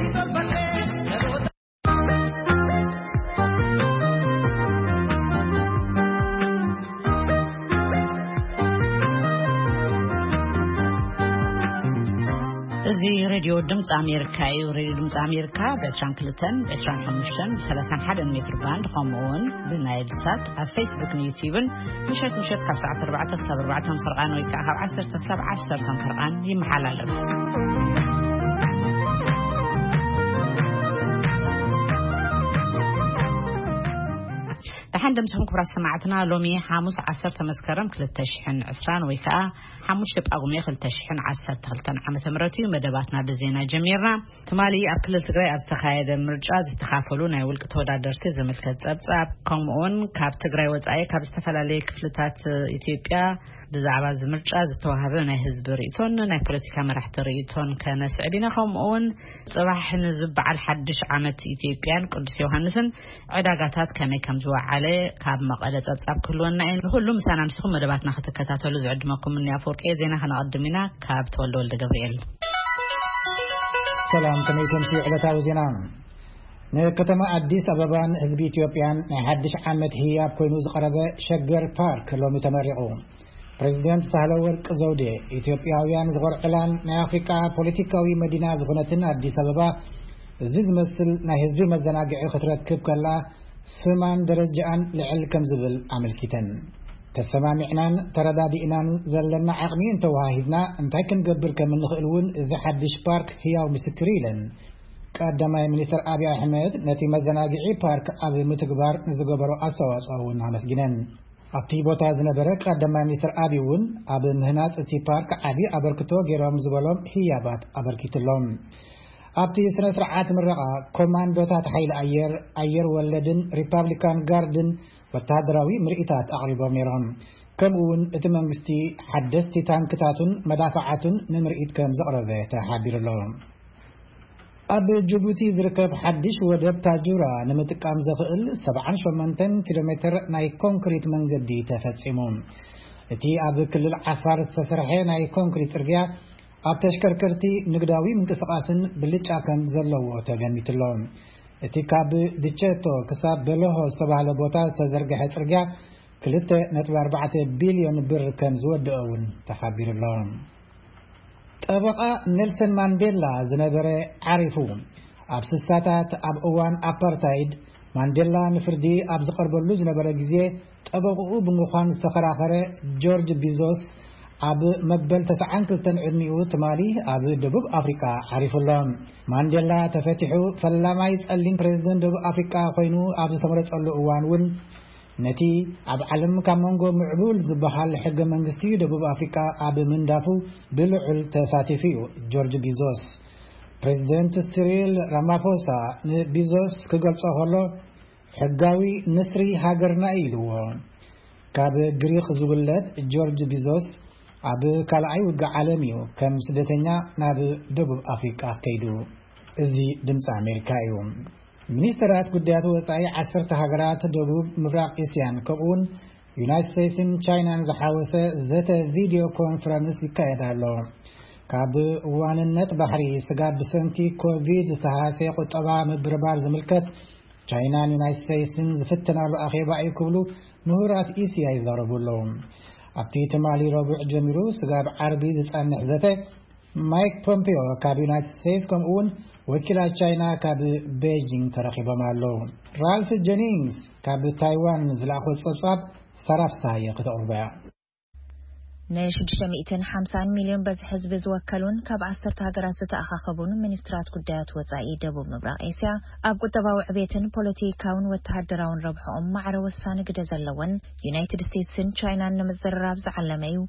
እዚ ሬድዮ ድምፂ ኣሜሪካ እዩ። ሬድዮ ድምፂ ኣሜሪካ ብ22፣ ብ25፣ ብ31 ሜትር ባንድ፣ ከምኡ እውን ብናይል ሳት ኣብ ፌስቡክን ዩቲዩብን ምሸት ምሸት ካብ ሰዓት ኣርባዕተ ክሳብ ኣርባዕተ ፈርቓን ወይ ከዓ ካብ ዓሰርተ ክሳብ ዓሰርተ ፈርቓን ይመሓላለፍ። ደሓን ደምስኹም ክቡራት ሰማዕትና። ሎሚ ሓሙስ ዓሰርተ መስከረም ክልተ ሽሕን ዕስራን ወይ ከዓ ሓሙሽተ ጳጉሜ ክልተ ሽሕን ዓሰርተ ክልተን ዓመተ ምህረት እዩ። መደባትና ብዜና ጀሚርና። ትማሊ ኣብ ክልል ትግራይ ኣብ ዝተኻየደ ምርጫ ዝተኻፈሉ ናይ ውልቂ ተወዳደርቲ ዝምልከት ጸብጻብ፣ ከምኡውን ካብ ትግራይ ወጻኢ ካብ ዝተፈላለየ ክፍልታት ኢትዮጵያ ብዛዕባ እዚ ምርጫ ዝተዋህበ ናይ ህዝቢ ርእይቶን ናይ ፖለቲካ መራሕቲ ርእይቶን ከነስዕብ ኢና። ከምኡውን ጽባሕ ንዝበዓል ሓድሽ ዓመት ኢትዮጵያን ቅዱስ ዮሃንስን ዕዳጋታት ከመይ ከም ዝወዓለ ካብ መቐለ ጸብጻብ ክህልወና እዩ። ንኹሉ ምሳና ምስኹም መደባትና ክትከታተሉ ዝዕድመኩም እኒ ኣፈወርቂ። ዜና ከነቐድም ኢና ካብ ተወልደ ወልደ ገብርኤል። ሰላም፣ ከመይ ከምሲ ዕለታዊ ዜና። ንከተማ ኣዲስ ኣበባን ህዝቢ ኢትዮጵያን ናይ ሓድሽ ዓመት ህያብ ኮይኑ ዝቐረበ ሸገር ፓርክ ሎሚ ተመሪቑ። ፕሬዚደንት ሳህለ ወርቅ ዘውዴ፣ ኢትዮጵያውያን ዝኾርዕላን ናይ ኣፍሪቃ ፖለቲካዊ መዲና ዝኾነትን ኣዲስ ኣበባ፣ እዚ ዝመስል ናይ ህዝቢ መዘናግዒ ክትረክብ ከላ፣ ስማን ደረጃኣን ልዕል ከም ዝብል ኣመልኪተን። ተሰማሚዕናን ተረዳዲእናን ዘለና ዓቕሚ እንተወሃሂድና፣ እንታይ ክንገብር ከም እንኽእል እውን እዚ ሓድሽ ፓርክ ህያው ምስክር እዩ ኢለን። ቀዳማይ ሚኒስትር ኣብይ ኣሕመድ ነቲ መዘናግዒ ፓርክ ኣብ ምትግባር ንዝገበሮ ኣስተዋፅኦ እውን ኣመስጊነን። ኣብቲ ቦታ ዝነበረ ቀዳማይ ሚኒስትር ኣብይ እውን ኣብ ምህናፅ እቲ ፓርክ ዓብዪ ኣበርክቶ ገይሮም ዝበሎም ህያባት ኣበርኪትሎም። ኣብቲ ስነ ስርዓት ምረቓ ኮማንዶታት ሓይሊ ኣየር፣ ኣየር ወለድን ሪፓብሊካን ጋርድን ወተሃደራዊ ምርኢታት ኣቕሪቦም ነይሮም። ከምኡ እውን እቲ መንግስቲ ሓደስቲ ታንክታቱን መዳፍዓቱን ንምርኢት ከም ዘቕረበ ተሓቢሩ ኣሎ። ኣብ ጅቡቲ ዝርከብ ሓድሽ ወደብ ታጁራ ንምጥቃም ዘኽእል ሰብዓን ሸሞንተን ኪሎ ሜትር ናይ ኮንክሪት መንገዲ ተፈጺሙ። እቲ ኣብ ክልል ዓፋር ዝተሰርሐ ናይ ኮንክሪት ጽርግያ ኣብ ተሽከርከርቲ ንግዳዊ ምንቅስቓስን ብልጫ ከም ዘለዎ ተገሚቱ ኣሎ። እቲ ካብ ድቸቶ ክሳብ በለሆ ዝተባህለ ቦታ ዝተዘርግሐ ጽርግያ ክልተ ነጥቢ ኣርባዕተ ቢልዮን ብር ከም ዝወደኦ እውን ተሓቢሩ ኣሎ። ጠበቓ ኔልሰን ማንዴላ ዝነበረ ዓሪፉ። ኣብ ስሳታት ኣብ እዋን ኣፓርታይድ ማንዴላ ንፍርዲ ኣብ ዝቐርበሉ ዝነበረ ግዜ ጠበቕኡ ብምዃን ዝተኸራኸረ ጆርጅ ቢዞስ ኣብ መበል ተስዓን ክልተን ዕድሚኡ ትማሊ ኣብ ደቡብ ኣፍሪቃ ዓሪፉ ኣሎ። ማንዴላ ተፈቲሑ ፈላማይ ጸሊም ፕሬዚደንት ደቡብ ኣፍሪቃ ኮይኑ ኣብ ዝተመረጸሉ እዋን እውን ነቲ ኣብ ዓለም ካብ መንጎ ምዕቡል ዝበሃል ሕገ መንግስቲ ደቡብ ኣፍሪቃ ኣብ ምንዳፉ ብልዑል ተሳቲፉ እዩ። ጆርጅ ቢዞስ፣ ፕሬዚደንት ሲሪል ራማፎሳ ንቢዞስ ክገልጾ ከሎ፣ ሕጋዊ ንስሪ ሃገርና እዩ ኢልዎ። ካብ ግሪክ ዝውለድ ጆርጅ ቢዞስ ኣብ ካልኣይ ውግእ ዓለም እዩ ከም ስደተኛ ናብ ደቡብ ኣፍሪቃ ከይዱ። እዚ ድምፂ ኣሜሪካ እዩ። ሚኒስትራት ጉዳያት ወፃኢ ዓሰርተ ሃገራት ደቡብ ምብራቕ እስያን ከምኡውን ዩናይትድ ስቴትስን ቻይናን ዝሓወሰ ዘተ ቪድዮ ኮንፈረንስ ይካየድ ኣሎ። ካብ ዋንነት ባሕሪ ስጋብ ብሰንኪ ኮቪድ ዝተሃሰየ ቁጠባ ምብርባር ዝምልከት ቻይናን ዩናይትድ ስቴትስን ዝፍትናሉ ኣኼባ እዩ ክብሉ ምሁራት እስያ ይዛረቡ ኣለዉ። ኣብቲ ትማሊ ረቡዕ ጀሚሩ ስጋብ ዓርቢ ዝጸንሕ ዘተ ማይክ ፖምፒዮ ካብ ዩናይትድ ስቴትስ ከምኡ እውን ወኪላት ቻይና ካብ ቤጂንግ ተረኺቦም ኣለዉ። ራልፍ ጀኒንግስ ካብ ታይዋን ዝለኣኾ ጸብጻብ ሳራፍሳየ ከተቕርቦ እያ። ን650 ሚልዮን በዝሒ ህዝቢ ዝወከሉን ካብ ዓሰርተ ሃገራት ዝተኣኻኸቡን ሚኒስትራት ጉዳያት ወጻኢ ደቡብ ምብራቕ ኤስያ ኣብ ቁጠባዊ ዕቤትን ፖለቲካውን ወተሃደራውን ረብሕኦም ማዕረ ወሳኒ ግደ ዘለወን ዩናይትድ ስቴትስን ቻይናን ንምዝርራብ ዝዓለመ እዩ።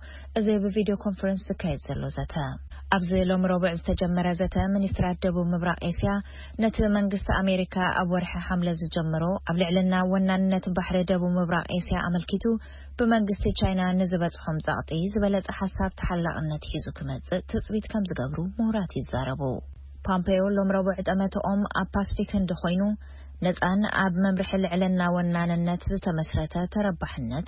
እዚ ብቪድዮ ኮንፈረንስ ዝካየድ ዘሎ ዘተ። ኣብዚ ሎሚ ረቡዕ ዝተጀመረ ዘተ ሚኒስትራት ደቡብ ምብራቕ ኤስያ ነቲ መንግስቲ ኣሜሪካ ኣብ ወርሒ ሓምለ ዝጀመሮ ኣብ ልዕልና ወናንነት ባሕሪ ደቡብ ምብራቕ ኤስያ ኣመልኪቱ ብመንግስቲ ቻይና ንዝበጽሖም ጸቕጢ ዝበለጸ ሓሳብ ተሓላቕነት ሒዙ ክመጽእ ትጽቢት ከም ዝገብሩ ምሁራት ይዛረቡ። ፓምፔዮ ሎም ረቡዕ ጠመተኦም ኣብ ፓስፊክ ህንዲ ኮይኑ ነጻን ኣብ መምርሒ ልዕልና ወናንነት ዝተመስረተ ተረባሕነት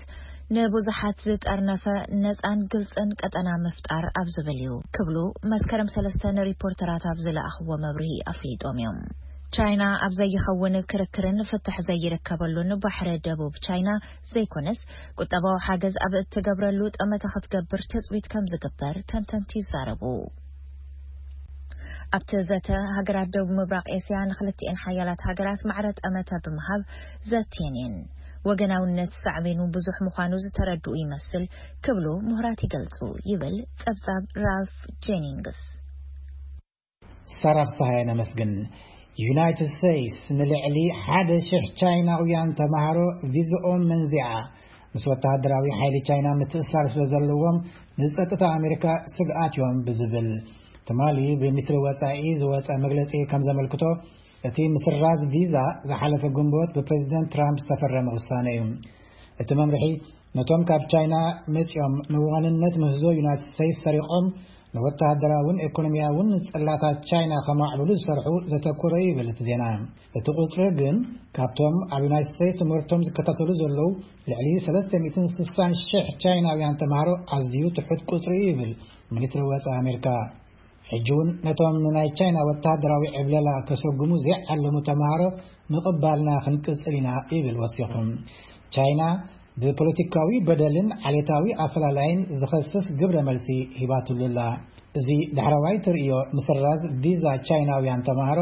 ንብዙሓት ዝጠርነፈ ነጻን ግልጽን ቀጠና ምፍጣር ኣብ ዝብል እዩ ክብሉ መስከረም ሰለስተ ንሪፖርተራት ኣብ ዝለኣኽዎ መብርሂ ኣፍሊጦም እዮም። ቻይና ኣብ ዘይኸውን ክርክርን ፍትሕ ዘይርከበሉን ባሕሪ ደቡብ ቻይና ዘይኮነስ፣ ቁጠባዊ ሓገዝ ኣብ እትገብረሉ ጠመተ ክትገብር ትጽቢት ከም ዝግበር ተንተንቲ ይዛረቡ። ኣብቲ ዘተ፣ ሃገራት ደቡብ ምብራቕ ኤስያ ንክልቲኤን ሓያላት ሃገራት ማዕረ ጠመተ ብምሃብ ዘትየን እየን። ወገናውነት ሳዕቤኑ ብዙሕ ምዃኑ ዝተረድኡ ይመስል ክብሉ ምሁራት ይገልጹ፣ ይብል ጸብጻብ ራልፍ ጄኒንግስ። ሳራ ፍስሃየ ነመስግን። ዩናይትድ ስቴትስ ንልዕሊ ሓደ ሽሕ ቻይናውያን ተማሃሮ ቪዝኦም መንዚዓ፣ ምስ ወተሃደራዊ ሓይሊ ቻይና ምትእስሳር ስለ ዘለዎም ንጸጥታ ኣሜሪካ ስግኣት እዮም ብዝብል ትማሊ ብሚኒስትሪ ወጻኢ ዝወጸ መግለጺ ከም ዘመልክቶ፣ እቲ ምስራዝ ቪዛ ዝሓለፈ ግንቦት ብፕሬዚደንት ትራምፕ ዝተፈረመ ውሳነ እዩ። እቲ መምርሒ ነቶም ካብ ቻይና መጺኦም ንዋንነት ምህዞ ዩናይትድ ስቴትስ ሰሪቖም ንወተሃደራውን ኤኮኖሚያውን ጽላታት ቻይና ከማዕብሉ ዝሰርሑ ዘተኮረ እዩ ይብል እቲ ዜና። እቲ ቁጽሪ ግን ካብቶም ኣብ ዩናይትድ ስቴትስ ትምህርቶም ዝከታተሉ ዘለዉ ልዕሊ ሰለስተ ሚእትን ስሳን ሽሕ ቻይናውያን ተማሃሮ ኣዝዩ ትሑት ቁጽሪ እዩ ይብል ሚኒስትሪ ወጻኢ ኣሜሪካ። ሕጂ እውን ነቶም ንናይ ቻይና ወተሃደራዊ ዕብለላ ከሰጉሙ ዘይዓለሙ ተማሃሮ ምቕባልና ክንቅጽል ኢና ይብል ወሲኹ። ቻይና ብፖለቲካዊ በደልን ዓሌታዊ ኣፈላላይን ዝኸስስ ግብረ መልሲ ሂባትሉ ኣላ። እዚ ዳሕረዋይ ትርእዮ ምስራዝ ቪዛ ቻይናውያን ተማሃሮ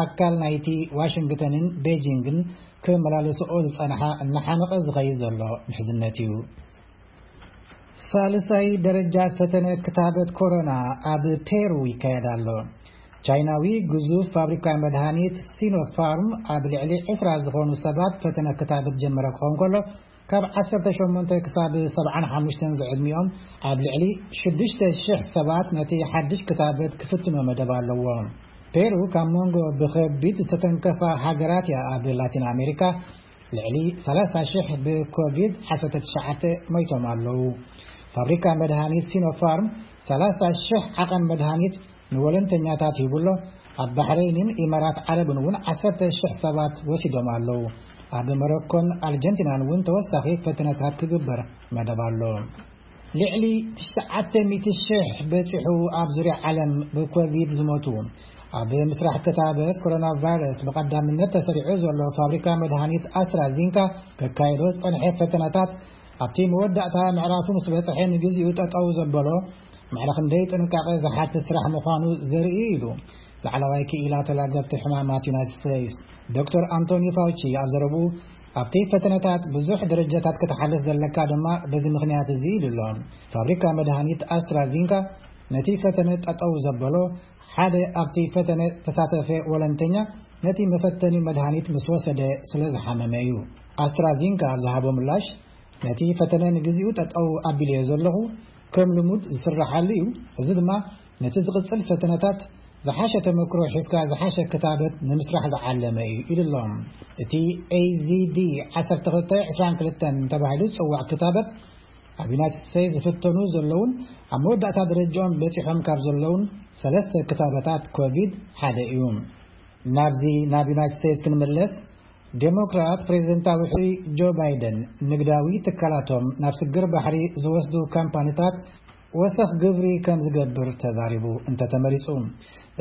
ኣካል ናይቲ ዋሽንግተንን ቤጂንግን ክመላለስኦ ዝጸንሓ እናሓመቐ ዝኸይድ ዘሎ ምሕዝነት እዩ። ሳልሳይ ደረጃ ፈተነ ክታበት ኮሮና ኣብ ፔሩ ይካየድ ኣሎ። ቻይናዊ ግዙፍ ፋብሪካ መድሃኒት ሲኖፋርም ኣብ ልዕሊ ዕስራ ዝኾኑ ሰባት ፈተነ ክታበት ጀመረ ክኸውን ከሎ፣ ካብ ዓሰርተ ሸሞንተ ክሳብ ሰብዓን ሓሙሽተን ዝዕድሚኦም ኣብ ልዕሊ ሽዱሽተ ሽሕ ሰባት ነቲ ሓድሽ ክታበት ክፍትኖ መደብ ኣለዎ። ፔሩ ካብ መንጎ ብኸቢድ ዝተተንከፋ ሃገራት እያ ኣብ ላቲን ኣሜሪካ። ልዕሊ ሰላሳ ሽሕ ብኮቪድ ዓሰርተ ትሽዓተ ሞይቶም ኣለዉ። ፋብሪካ መድሃኒት ሲኖፋርም ሰላሳ ሽሕ ዓቐን መድሃኒት ንወለንተኛታት ሂቡ ኣሎ። ኣብ ባሕረይንን ኢማራት ዓረብን እውን ዓሰርተ ሽሕ ሰባት ወሲዶም ኣለዉ። ኣብ መሮኮን ኣርጀንቲናን እውን ተወሳኺ ፈተነታት ክግበር መደብ ኣሎ። ልዕሊ ትሽዓተ ሚእቲ ሽሕ በጺሑ ኣብ ዙርያ ዓለም ብኮቪድ ዝሞቱ። ኣብ ምስራሕ ክታበት ኮሮና ቫይረስ ብቐዳምነት ተሰሪዑ ዘሎ ፋብሪካ መድሃኒት ኣስትራዚንካ ከካይዶ ዝጸንሐ ፈተነታት ኣብቲ መወዳእታ ምዕራፉ ምስ በጽሐ ንግዚኡ ጠጠው ዘበሎ፣ ማዕረ ክንደይ ጥንቃቐ ዝሓትት ስራሕ ምዃኑ ዘርኢ እዩ ኢሉ ላዕለዋይ ክኢላ ተላገብቲ ሕማማት ዩናይትድ ስቴትስ ዶክተር ኣንቶኒ ፋውቺ ኣብ ዘረብኡ፣ ኣብቲ ፈተነታት ብዙሕ ደረጃታት ክትሓልፍ ዘለካ ድማ በዚ ምኽንያት እዚ ኢሉ ኣሎ። ፋብሪካ መድሃኒት ኣስትራዚንካ ነቲ ፈተነ ጠጠው ዘበሎ፣ ሓደ ኣብቲ ፈተነ ተሳተፈ ወለንተኛ ነቲ መፈተኒ መድሃኒት ምስ ወሰደ ስለ ዝሓመመ እዩ። ኣስትራዚንካ ኣብ ዝሃቦ ምላሽ፣ ነቲ ፈተነ ንግዚኡ ጠጠው ኣቢለዮ ዘለኹ፣ ከም ልሙድ ዝስረሓሉ እዩ። እዚ ድማ ነቲ ዝቕጽል ፈተነታት ዝሓሸ ተመክሮ ሒዝካ ዝሓሸ ክታበት ንምስራሕ ዝዓለመ እዩ ኢሉ ኣሎ። እቲ ኤ ዚ ዲ ዓሰርተ ክልተ ዕስራን ክልተን ተባሂሉ ዝጽዋዕ ክታበት ኣብ ዩናይትድ ስቴትስ ዝፍተኑ ዘለውን ኣብ መወዳእታ ደረጃኦም በጺሖም ካብ ዘለውን ሰለስተ ክታበታት ኮቪድ ሓደ እዩ። ናብዚ ናብ ዩናይትድ ስቴትስ ክንምለስ፣ ዴሞክራት ፕሬዝደንታዊ ሕሩይ ጆ ባይደን ንግዳዊ ትካላቶም ናብ ስግር ባሕሪ ዝወስዱ ካምፓኒታት ወሰኽ ግብሪ ከም ዝገብር ተዛሪቡ እንተተመሪጹ።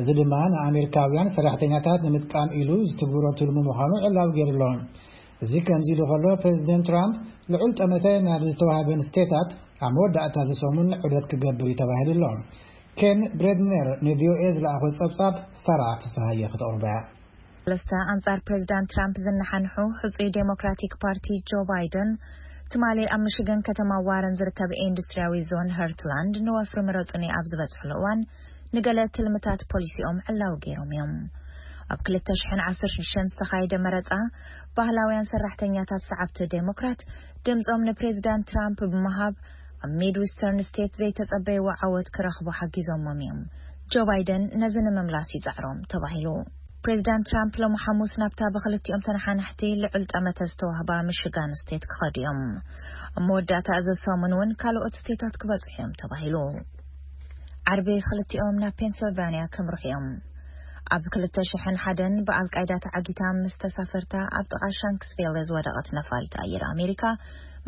እዚ ድማ ንኣሜሪካውያን ሰራሕተኛታት ንምጥቃም ኢሉ ዝትግብሮ ትልሙ ምዃኑ ዕላዊ ገይሩ ኣሎ። እዚ ከምዚ ኢሉ ከሎ፣ ፕሬዝደንት ትራምፕ ልዑል ጠመተ ናብ ዝተዋህበን ስቴታት ኣብ መወዳእታ እዚ ሰሙን ዑደት ክገብር እዩ ተባሂሉ ኣሎ። ኬን ብሬድነር ንቪኦኤ ዝለኣኾ ጸብጻብ ሳራ ፍስሃየ ክተቕርቦ እያ። ሰለስተ ኣንጻር ፕሬዝዳንት ትራምፕ ዝነሓንሑ ሕጹይ ዴሞክራቲክ ፓርቲ ጆ ባይደን ትማሊ ኣብ ሚሽገን ከተማ ዋረን ዝርከብ ኢንዱስትሪያዊ ዞን ሀርትላንድ ንወፍሪ ምረጹኒ ኣብ ዝበጽሕሉ እዋን ንገለ ትልምታት ፖሊሲኦም ዕላዊ ገይሮም እዮም። ኣብ ክልተ ሽሕን ዓሰርተ ሽዱሽተን ዝተኻየደ መረጻ ባህላውያን ሰራሕተኛታት ሰዓብቲ ዴሞክራት ድምጾም ንፕሬዝዳንት ትራምፕ ብምሃብ ኣብ ሚድዊስተርን ስቴት ዘይተጸበይዎ ዓወት ክረኽቡ ሓጊዞሞም እዮም። ጆ ባይደን ነዚ ንምምላስ ይጻዕሮም ተባሂሉ። ፕሬዝዳንት ትራምፕ ሎሚ ሓሙስ ናብታ ብክልቲኦም ተነሓናሕቲ ልዑል ጠመተ ዝተዋህባ ሚሽጋን ስቴት ክኸዱ እዮም። ኣብ መወዳእታ እዚ ሰሙን እውን ካልኦት ስቴታት ክበጽሑ እዮም ተባሂሉ። ዓርቢ ክልቲኦም ናብ ፔንስልቫንያ ከምርሑ እዮም። ኣብ ክልተ ሽሕን ሓደን ብኣልቃይዳ ተዓጊታ ምስ ተሳፈርታ ኣብ ጥቓ ሻንክስቪል ዝወደቐት ነፋሪት ኣየር ኣሜሪካ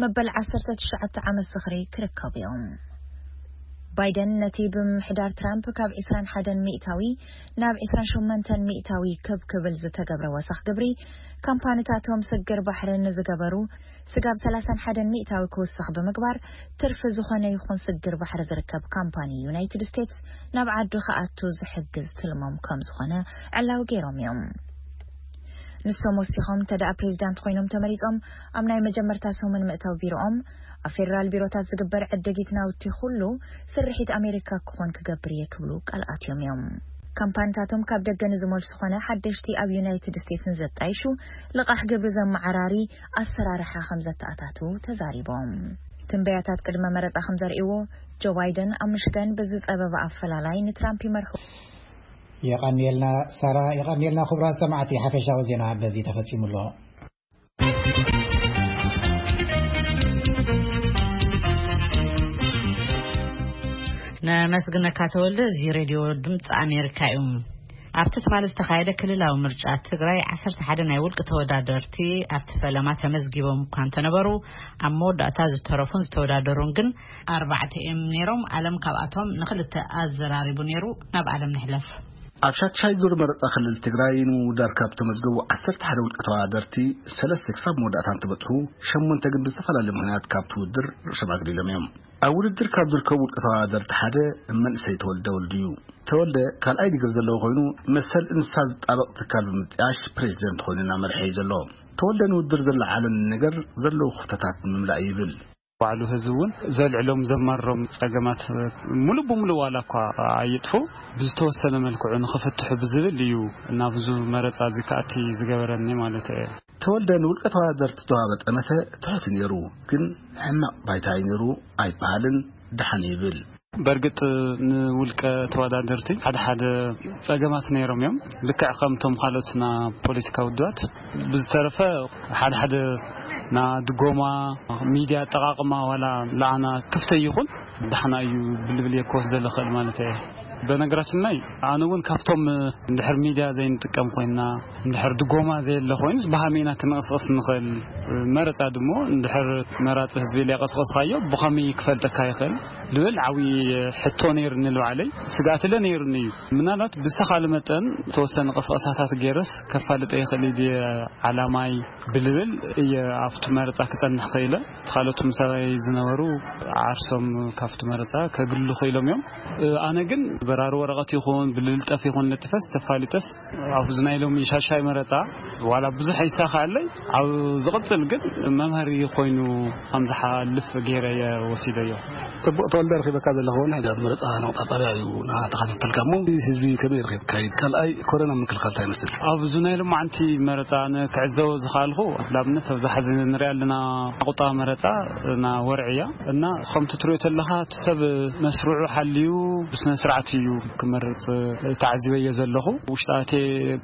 መበል ዓሰርተ ትሽዓተ ዓመት ዝኽሪ ክርከቡ እዮም። ባይደን ነቲ ብምምሕዳር ትራምፕ ካብ ዕስራን ሓደን ሚእታዊ ናብ ዕስራን ሸሞንተን ሚእታዊ ክብ ክብል ዝተገብረ ወሰኽ ግብሪ ካምፓኒታቶም ስግር ባሕሪ ንዝገበሩ ስጋብ ሰላሳን ሓደን ሚእታዊ ክውስኽ ብምግባር፣ ትርፊ ዝኾነ ይኹን ስግር ባሕሪ ዝርከብ ካምፓኒ ዩናይትድ ስቴትስ ናብ ዓዱ ክኣቱ ዝሕግዝ ትልሞም ከም ዝኾነ ዕላዊ ገይሮም እዮም። ንሶም ወሲኾም፣ እንተ ደኣ ፕሬዚዳንት ኮይኖም ተመሪጾም፣ ኣብ ናይ መጀመርታ ሰሙን ምእታው ቢሮኦም፣ ኣብ ፌደራል ቢሮታት ዝግበር ዕድጊት ናውቲ ኩሉ ስርሒት ኣሜሪካ ክኾን ክገብር እየ ክብሉ ቃል ኣትዮም እዮም። ካምፓኒታቶም ካብ ደገ ንዝመልሱ ኾነ ሓደሽቲ ኣብ ዩናይትድ ስቴትስ ንዘጣይሹ ልቓሕ ግብሪ ዘመዓራሪ ኣሰራርሓ ከም ዘተኣታቱ ተዛሪቦም። ትንበያታት ቅድመ መረጻ ከም ዘርእይዎ፣ ጆ ባይደን ኣብ ምሽገን ብዝጸበበ ኣፈላላይ ንትራምፕ ይመርሑ። የቐንየልና ሳራ፣ የቐንየልና ክቡራት ሰማዕቲ። ሓፈሻዊ ዜና በዚ ተፈጺሙ ኣሎ። ነመስግነካ ተወልደ። እዚ ሬድዮ ድምፂ ኣሜሪካ እዩ። ኣብቲ ትማሊ ዝተኻየደ ክልላዊ ምርጫ ትግራይ ዓሰርተ ሓደ ናይ ውልቂ ተወዳደርቲ ኣብቲ ፈለማ ተመዝጊቦም እኳ እንተነበሩ፣ ኣብ መወዳእታ ዝተረፉን ዝተወዳደሩን ግን ኣርባዕተ እዮም ነይሮም። ኣለም ካብኣቶም ንክልተ ኣዘራሪቡ ነይሩ። ናብ ኣለም ንሕለፍ። ኣብ ሻድሻይ ዙር መረፃ ክልል ትግራይ ንምውዳር ካብ ተመዝገቡ ዓሰርተ ሓደ ውልቂ ተወዳደርቲ፣ ሰለስተ ክሳብ መወዳእታ እንትበፅሑ፣ ሸሞንተ ግን ብዝተፈላለየ ምኽንያት ካብቲ ውድድር ርእሶም ኣግሊሎም እዮም። ኣብ ውድድር ካብ ዝርከቡ ውልቂ ተወዳደርቲ ሓደ መንእሰይ ተወልደ ወልዱ እዩ። ተወልደ ካልኣይ ዲግሪ ዘለዎ ኮይኑ፣ መሰል እንስሳ ዝጣበቕ ትካል ብምጥያሽ ፕሬዚደንት ኮይኑ እናመርሐ እዩ ዘሎ። ተወልደ ንውድድር ዘለዓለም ነገር ዘለዉ ክፍተታት ንምምላእ እዩ ይብል። ባዕሉ ህዝቢ እውን ዘልዕሎም ዘማርሮም ጸገማት ሙሉ ብሙሉ ዋላ እኳ ኣይጥፉ፣ ብዝተወሰነ መልክዑ ንኽፍትሑ ብዝብል እዩ ናብዙ መረጻ እዚ ክኣቲ ዝገበረኒ ማለት እየ። ተወልደ ንውልቀ ተወዳደርቲ ዝተዋህበ ጠመተ ትሑት ነይሩ፣ ግን ሕማቕ ባይታ እዩ ነይሩ ኣይበሃልን፣ ደሓን ይብል። በእርግጥ ንውልቀ ተወዳደርቲ ሓደ ሓደ ጸገማት ነይሮም እዮም፣ ልክዕ ከምቶም ካልኦት ና ፖለቲካ ውድባት። ብዝተረፈ ሓደ ሓደ ና ድጎማ፣ ሚድያ ኣጠቓቕማ ዋላ ለኣና ክፍተ ይኹን ደሓና እዩ ብልብል እየ ክወስደ ልኽእል ማለት እየ። በነገራችን ላይ ኣነ እውን ካብቶም እንድሕር ሚድያ ዘይንጥቀም ኮይንና፣ እንድሕር ድጎማ ዘየለ ኮይኑስ ብሃመይና ክንቕስቕስ ንኽእል። መረጻ ድሞ እንድሕር መራጺ ህዝቢ ሊያቐስቐስካዮ ብኸመይ ክፈልጠካ ይኽእል ልብል ዓብዪ ሕቶ ነይሩኒ። ልባዕለይ ስግኣትለ ነይሩኒ እዩ። ምናልባት ብዝተኻለ መጠን ተወሰነ ቅስቀሳታት ገይረስ ከፋልጠ ይኽእል እዩ ዓላማይ ብልብል እየ ኣብቲ መረጻ ክጸንሕ ክኢለ። እቲ ካልኦት ምሳይ ዝነበሩ ዓርሶም ካብቲ መረጻ ከግልሉ ክኢሎም እዮም። ኣነ ግን በራሪ ወረቐት ይኹን ብልልጠፍ ይኹን ለጥፈስ ተፋሊጠስ ኣብዚ ናይ ሎሚ ሻሻይ መረጻ ዋላ ብዙሕ ኣይሳኻለይ፣ ኣብ ዝቕጽል ግን መምሃሪ ኮይኑ ከም ዝሓልፍ ገይረ እየ ወሲደዮ። ጽቡቕ ተወልደ፣ ረኺበካ ዘለኹ እውን ሕጂ ኣብ መረጻ ነቑጣ ጣብያ እዩ ንዓ ተኸታተልካ እሞ ህዝቢ ከመይ ረኺብካ? ካልኣይ ኮረና ምክልኻል እንታይ ይመስል? ኣብዚ ናይ ሎማዓንቲ መረጻ ኣነ ክዕዘቦ ዝኸኣልኩ፣ ንኣብነት ኣብዚ ሕዚ ንሪኣ ኣለና ቁጠባ መረጻ እና ወርዒ እያ እና ከምቲ ትሪኦ ተለኻ እቲ ሰብ መስርዑ ሓልዩ ብስነ ስርዓት እዩ ክመርጽ ተዓዚበዮ ዘለኹ። ውሽጣቴ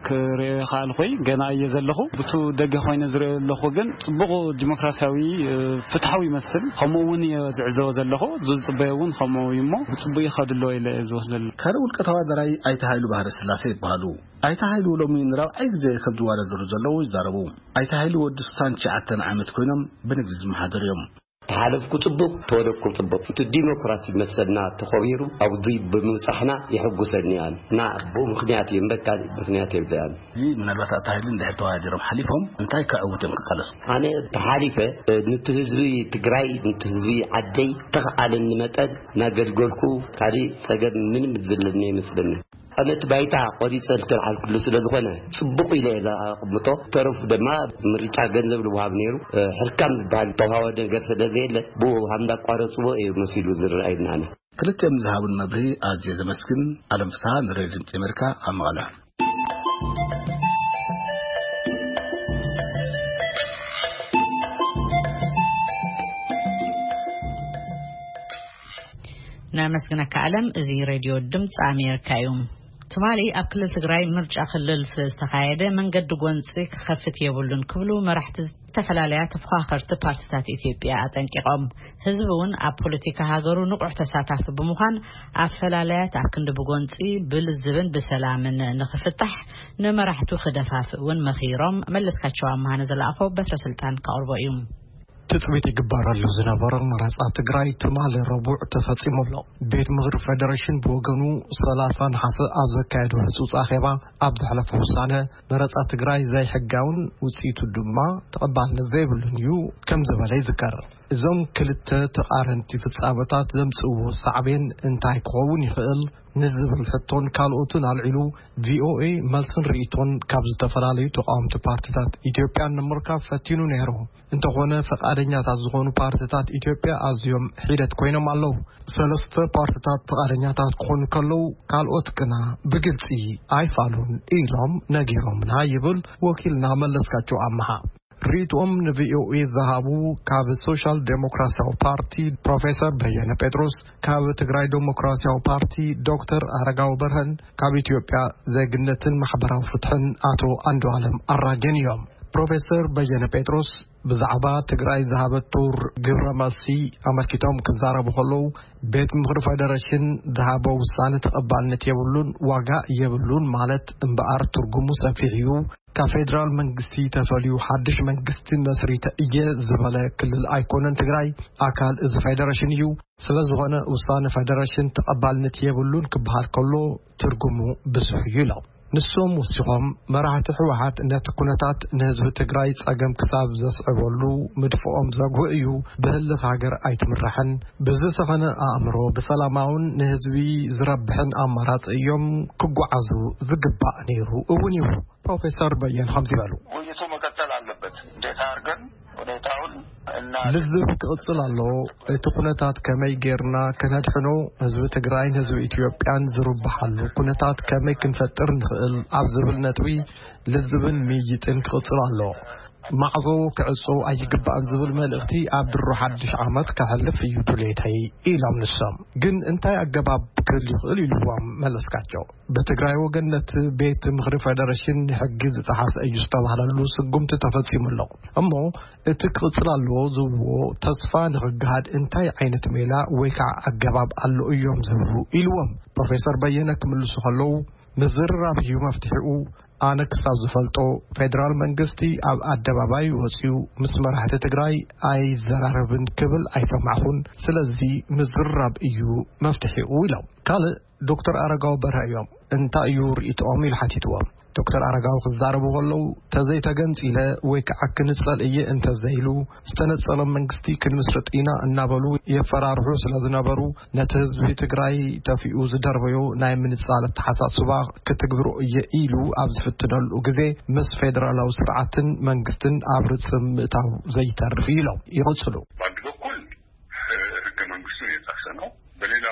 ክሪኦ ይኸኣልኩይ ገና እየ ዘለኹ። ብቱ ደገ ኮይነ ዝሪኦ ኣለኹ ግን ጽቡቕ ዲሞክራሲያዊ፣ እ፣ ፍትሓዊ ይመስል። ከምኡ እውን እየ ዝዕዘቦ ዘለኹ። ዝጽበዮ እውን ከምኡ እዩ እሞ ብጽቡቕ ይኸድሎ ኢለ እየ ዝወስደሉ። ካልእ ውልቀ ተወዳዳራይ ኣይተ ሃይሉ ባህረ ስላሴ ይበሃሉ። ኣይተ ሃይሉ ሎሚ ንራብዓይ ግዜ ከም ዝወዳደሩ ዘለዉ ይዛረቡ። ኣይተ ሃይሉ ወዲ ስሳን ትሽዓተን ዓመት ኮይኖም ብንግዲ ዝመሓደሩ እዮም። ተሓለፍኩ ጽቡቕ፣ ተወደቅኩ ጽቡቕ። እቲ ዲሞክራሲ መሰልና ተኸቢሩ ኣብዚ ብምብጻሕና የሐጉሰኒ ኣነ። እና ብኡ ምኽንያት እዩ እምበር ካልእ ምኽንያት የብለያን። እዚ ምናልባት ኣይተ ሃይሉ እንድሕር ተወዳዲሮም ሓሊፎም እንታይ ከዕውት እዮም ክቃለሱ? ኣነ ተሓሊፈ፣ እ፣ ነቲ ህዝቢ ትግራይ፣ ነቲ ህዝቢ ዓደይ ተኽኣለኒ መጠን እናገልገልኩ ካልእ ጸገም ምንም ዝለኒ ኣይመስለኒ። ኣነ እቲ ባይታ ቆሪጸ ዝተልዓልኩሉ ስለ ዝኾነ ጽቡቕ ኢለ እየ ዝኣቕምጦ። ተረፉ ድማ ምርጫ ገንዘብ ልወሃብ ነይሩ። እ፣ ሕርካን ዝበሃል ተዋሃወ ነገር ስለ ዘየለ ብኡ ሃም እንዳቋረጽዎ እዩ መሲሉ ዝረኣየኒ ኣነ። ክልቲኦም ዝሃቡን መብርሂ ኣዝየ ዘመስግን። ኣለም ፍስሃ ንሬድዮ ድምጺ ኣሜሪካ ኣብ መቐለ። ነመስግነካ ኣለም። እዚ ሬድዮ ድምፂ ኣሜሪካ እዩ። ትማሊ ኣብ ክልል ትግራይ ምርጫ ክልል ስለ ዝተኻየደ መንገዲ ጎንፂ ክኸፍት የብሉን ክብሉ መራሕቲ ዝተፈላለያ ተፎኻኸርቲ ፓርቲታት ኢትዮጵያ ኣጠንቂቖም። ህዝቢ እውን ኣብ ፖለቲካ ሃገሩ ንቑሕ ተሳታፊ ብምዃን፣ ኣፈላላያት ኣብ ክንዲ ብጎንፂ ብልዝብን ብሰላምን ንኽፍታሕ ንመራሕቱ ክደፋፍእ እውን መኺሮም። መለስካቸው ኣምሃ ንዝለኣኾ በትረ ስልጣን ከቕርቦ እዩ። ትጽቢት ይግበረሉ ዝነበረ መረጻ ትግራይ ትማሊ ረቡዕ ተፈጺሙ ኣሎ። ቤት ምኽሪ ፌደሬሽን ብወገኑ፣ ሰላሳ ነሓሰ ኣብ ዘካየዶ ህጹጽ ኣኼባ፣ ኣብ ዘሕለፎ ውሳነ፣ መረጻ ትግራይ ዘይሕጋውን ውጽኢቱ ድማ ተቐባልነት ዘይብሉን እዩ ከም ዝበለ ይዝከር። እዞም ክልተ ተቓረንቲ ፍጻመታት ዘምጽእዎ ሳዕቤን እንታይ ክኸውን ይኽእል ንዝብል ሕቶን ካልኦትን ኣልዒሉ፣ ቪኦኤ መልስን ርእይቶን ካብ ዝተፈላለዩ ተቃወምቲ ፓርቲታት ኢትዮጵያን ንምርካብ ፈቲኑ ነይሩ። እንተኾነ፣ ፈቃደኛታት ዝኾኑ ፓርቲታት ኢትዮጵያ ኣዝዮም ሒደት ኮይኖም ኣለዉ። ሰለስተ ፓርቲታት ፈቃደኛታት ክኾኑ ከለዉ፣ ካልኦት ግና ብግልጺ ኣይፋሉን ኢሎም ነጊሮምና ይብል ወኪልና መለስካቸው ኣምሃ። ርእይቶኦም ንቪኦኤ ዝሃቡ ካብ ሶሻል ዴሞክራሲያዊ ፓርቲ ፕሮፌሰር በየነ ጴጥሮስ፣ ካብ ትግራይ ዴሞክራሲያዊ ፓርቲ ዶክተር ኣረጋዊ በርሀን ካብ ኢትዮጵያ ዜግነትን ማሕበራዊ ፍትሕን ኣቶ ኣንዱዓለም ኣራጌን እዮም። ፕሮፌሰር በየነ ጴጥሮስ ብዛዕባ ትግራይ ዝሃበቶ ግብረ መልሲ ኣመልኪቶም ክዛረቡ ከለዉ፣ ቤት ምኽሪ ፌደሬሽን ዝሃቦ ውሳነ ተቐባልነት የብሉን፣ ዋጋ የብሉን ማለት እምበኣር ትርጉሙ ሰፊሕ እዩ። ካብ ፌደራል መንግስቲ ተፈልዩ ሓድሽ መንግስቲ መስሪተ እየ ዝበለ ክልል ኣይኮነን ትግራይ፣ ኣካል እዚ ፌደሬሽን እዩ። ስለ ዝኾነ ውሳነ ፌደሬሽን ተቐባልነት የብሉን ክበሃል ከሎ ትርጉሙ ብዙሕ እዩ ኢሎም። ንሶም ወሲኾም፣ መራሕቲ ህወሓት ነቲ ኩነታት ንህዝቢ ትግራይ ጸገም ክሳብ ዘስዕበሉ ምድፍኦም ዘጉህ እዩ፣ ብህልኽ ሃገር ኣይትምራሕን፣ ብዝሰኸነ ኣእምሮ ብሰላማውን ንህዝቢ ዝረብሕን ኣማራጺ እዮም ክጓዓዙ ዝግባእ ነይሩ እውን እዩ። ፕሮፌሰር በየን ከምዚ በሉ። ውይይቱ መቀጠል አለበት። እንዴት አድርገን ሁኔታውን እና ልዝብ ክቕጽል ኣለዎ። እቲ ኩነታት ከመይ ጌርና ከነድሕኖ፣ ህዝቢ ትግራይን ህዝቢ ኢትዮጵያን ዝርብሓሉ ኩነታት ከመይ ክንፈጥር ንኽእል ኣብ ዝብል ነጥቢ ልዝብን ምይይጥን ክቕጽል ኣለዎ። ማዕጾ ክዕጾ ኣይግባእን ዝብል መልእኽቲ ኣብ ድሮ ሓድሽ ዓመት ከሕልፍ እዩ ድሌተይ ኢሎም ንሶም። ግን እንታይ ኣገባብ ክህሉ ይኽእል ኢልዎም መለስካቸው። ብትግራይ ወገን ነቲ ቤት ምኽሪ ፌደሬሽን ሕጊ ዝጠሓሰ እዩ ዝተባህለሉ ስጉምቲ ተፈጺሙ ኣሎ። እሞ እቲ ክቕጽል ኣለዎ ዝብልዎ ተስፋ ንኽገሃድ እንታይ ዓይነት ሜላ ወይ ከዓ ኣገባብ ኣሎ እዮም ዝብሉ ኢልዎም። ፕሮፌሰር በየነ ክምልሱ ከለዉ ምዝርራብ እዩ መፍትሒኡ። ኣነ ክሳብ ዝፈልጦ ፌደራል መንግስቲ ኣብ ኣደባባይ ወፂኡ ምስ መራሕቲ ትግራይ ኣይዘራረብን ክብል ኣይሰማዕኹን። ስለዚ ምዝርራብ እዩ መፍትሒኡ ኢሎም። ካልእ ዶክተር ኣረጋዊ በርሀ እዮም። እንታይ እዩ ርእይቶኦም ኢሉ ሓቲትዎም። ዶክተር ኣረጋዊ ክዛረቡ ከለዉ ተዘይተገንፂለ ወይ ከዓ ክንፀል እየ እንተዘይሉ ዝተነፀለ መንግስቲ ክንምስርጥ ኢና እናበሉ የፈራርሑ ስለ ዝነበሩ ነቲ ህዝቢ ትግራይ ተፊኡ ዝደርበዮ ናይ ምንፃል ኣተሓሳስባ ክትግብሮ እየ ኢሉ ኣብ ዝፍትነሉ ግዜ ምስ ፌደራላዊ ስርዓትን መንግስትን ኣብ ርፅም ምእታው ዘይተርፍ እዩ ኢሎም ይቕፅሉ። በአንድ በኩል ህገ መንግስቱን የጣሰ ነው። በሌላ